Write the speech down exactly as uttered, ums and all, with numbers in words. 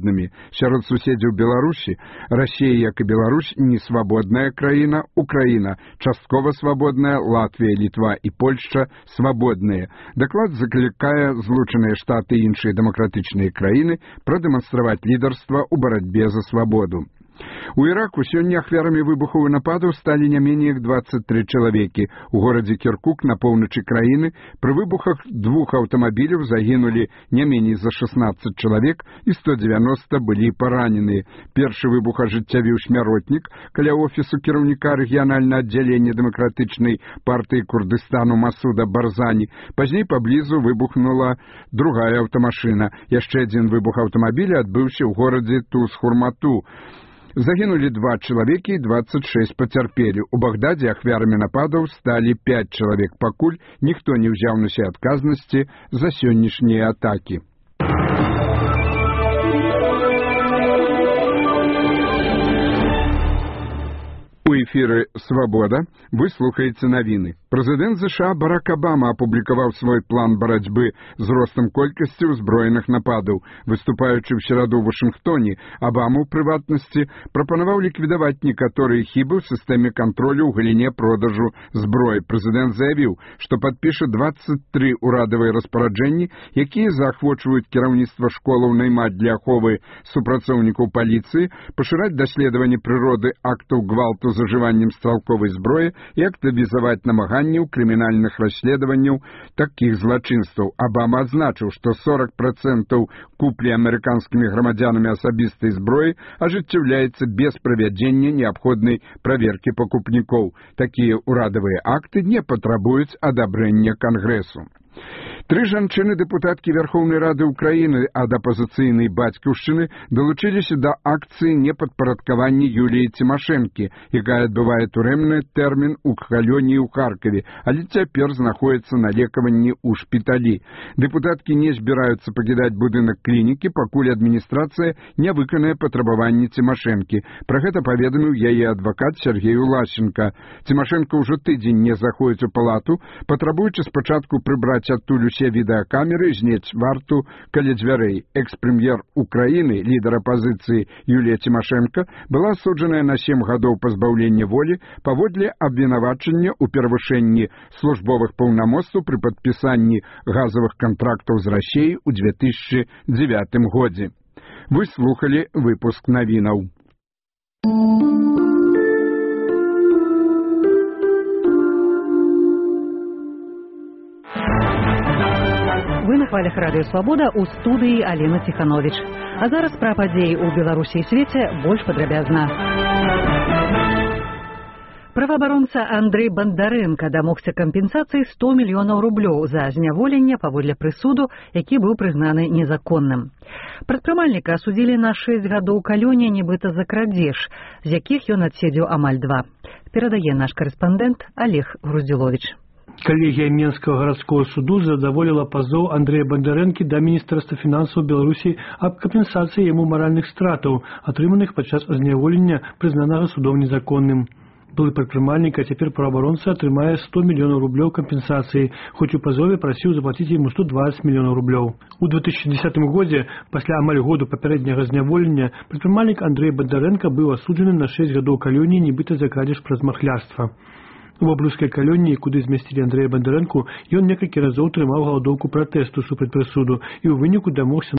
свабоднымі. Сярод суседзяў Беларусі Расія, як і Беларусь, не свабодная краіна, Украіна часткова свабодная, Латвія, Літва і Польшча свабодныя. Даклад заклікае Злучаныя Штаты і іншыя дэмакратычныя краіны прадэманстраваць лідарства ў барацьбе за свабоду. У Іраку сёння ахвярамі выбухаў і нападаў сталі не меней як дваццаць тры чалавекі. У горадзе Кіркук на поўначы краіны пры выбухах двух аўтамабіляў загінулі не меней за шаснаццаць чалавек і сто дзевяноста былі параненыя. Першы выбух ажыццявіў смяротнік каля офісу кіраўніка рэгіянальнага аддзялення дэмакратычнай партыі Курдыстану Масуда Барзані. Пазней паблізу выбухнула другая аўтамашына. Яшчэ адзін выбух аўтамабіля адбыўся ў горадзе Туз-Хурмату. Загінулі два чалавекі і дваццаць шэсць пацярпелі. У Багдадзе ахвярамі нападаў сталі пяць чалавек. Пакуль ніхто не ўзяў на сябе адказнасці за сённяшнія атакі. У эфіры «Свабода» вы слухаеце навіны. Прэзідэнт ЗША Барак Абама апублікаваў свой план барацьбы з ростам колькасці ўзброеных нападаў. Выступаючы ў сераду ў Вашынгтоне, Абама, у прыватнасці, прапанаваў ліквідаваць некаторыя хібы ў сістэме кантролю ў галіне продажу зброі. Прэзідэнт заявіў, што падпіша дваццаць тры ўрадавыя распараджэнні, якія заахвочваюць кіраўніцтва школаў наймаць для аховы супрацоўнікаў паліцыі, пашыраць даследаванне прыроды актаў гвалту з ужываннем стралковай зброі і актывізаваць намаганняў крымінальных расследаванняў такіх злачынстваў. Абама адзначыў, што сорок процентаў куплі амерыканскімі грамадзянамі асабістай зброі ажыццяўляецца без правядзення неабходнай праверкі пакупнікоў. Такія ўрадавыя акты не патрабуюць адабрэння Кангрэсу. Тры жанчыны-дэпутаткі Верхоўнай Рады Украіны ад апазіцыйнай бацькаўшчыны далучыліся да акцыі непадпарадкавання Юліі Цімашэнкі, якая адбывае турэмны тэрмін у калоніі ў Харкаве, але цяпер знаходзіцца на лекаванні ў шпіталі. Дэпутаткі не збіраюцца пакідаць будынак клінікі, пакуль адміністрацыя не выканае патрабаванні Цімашэнкі. Пра гэта паведаміў яе адвакат Сергей Улашченко. Цімашэнка ўжо тыдзень не заходзіць у палату, патрабуючы спачатку прыбраць адтуль усе відэакамеры, зняць варту каля дзвярэй. Экс-прэм'ер Украіны, лідар апазіцыі Юлія Цімашэнка, была асуджаная на сем гадоў пазбаўлення волі паводле абвінавачання ў перавышэнні службовых паўнамоцтваў пры падпісанні газавых кантрактаў з Расіяй у две тысячы дзевятым годзе. Вы слухалі выпуск навінаў. Вы на хвалях радыё «Свабода» ў студыі Алена Ціхановіч. А зараз пра падзеі ў Беларусі і свеце больш падрабязна. Праваабаронца Андрэй Бандарэнка дамогся кампенсацыі сто мільёнаў рублёў за зняволенне паводле прысуду, які быў прызнаны незаконным. Прадпрымальніка асудзілі на шэсць гадоў калоніі нібыта за крадзеж, з якіх ён адседзеў амаль два. Перадае наш карэспандэнт Олег Груздзіловіч. Калегія Менскага гарадскога суду задаволіла пазоў Андрэя Бандарэнкі да міністэрства фінансаў Беларусі аб кампенсацыі яму маральных стратаў, атрыманых падчас зняволення, прызнанага судом незаконным. Былы прадпрымальнік, а цяпер праваабаронца атрымае сто мільёнаў рублёў кампенсацыі, хоць у пазове прасіў заплаціць яму сто дваццаць мільёнаў рублёў. У две тысячи десятым годзе, пасля амаль году папярэдняга зняволення, прадпрымальнік Андрэй Бандарэнка быў асуджаны на шэсць гадоў калоніі нібыта за крадзеж праз махлярства. У баблюскай калоніі, куды змясцілі Андрэя Бандарэнку, ён некалькі разоў трымаў галадоўку пратэсту супраць прысуду і ў выніку дамогся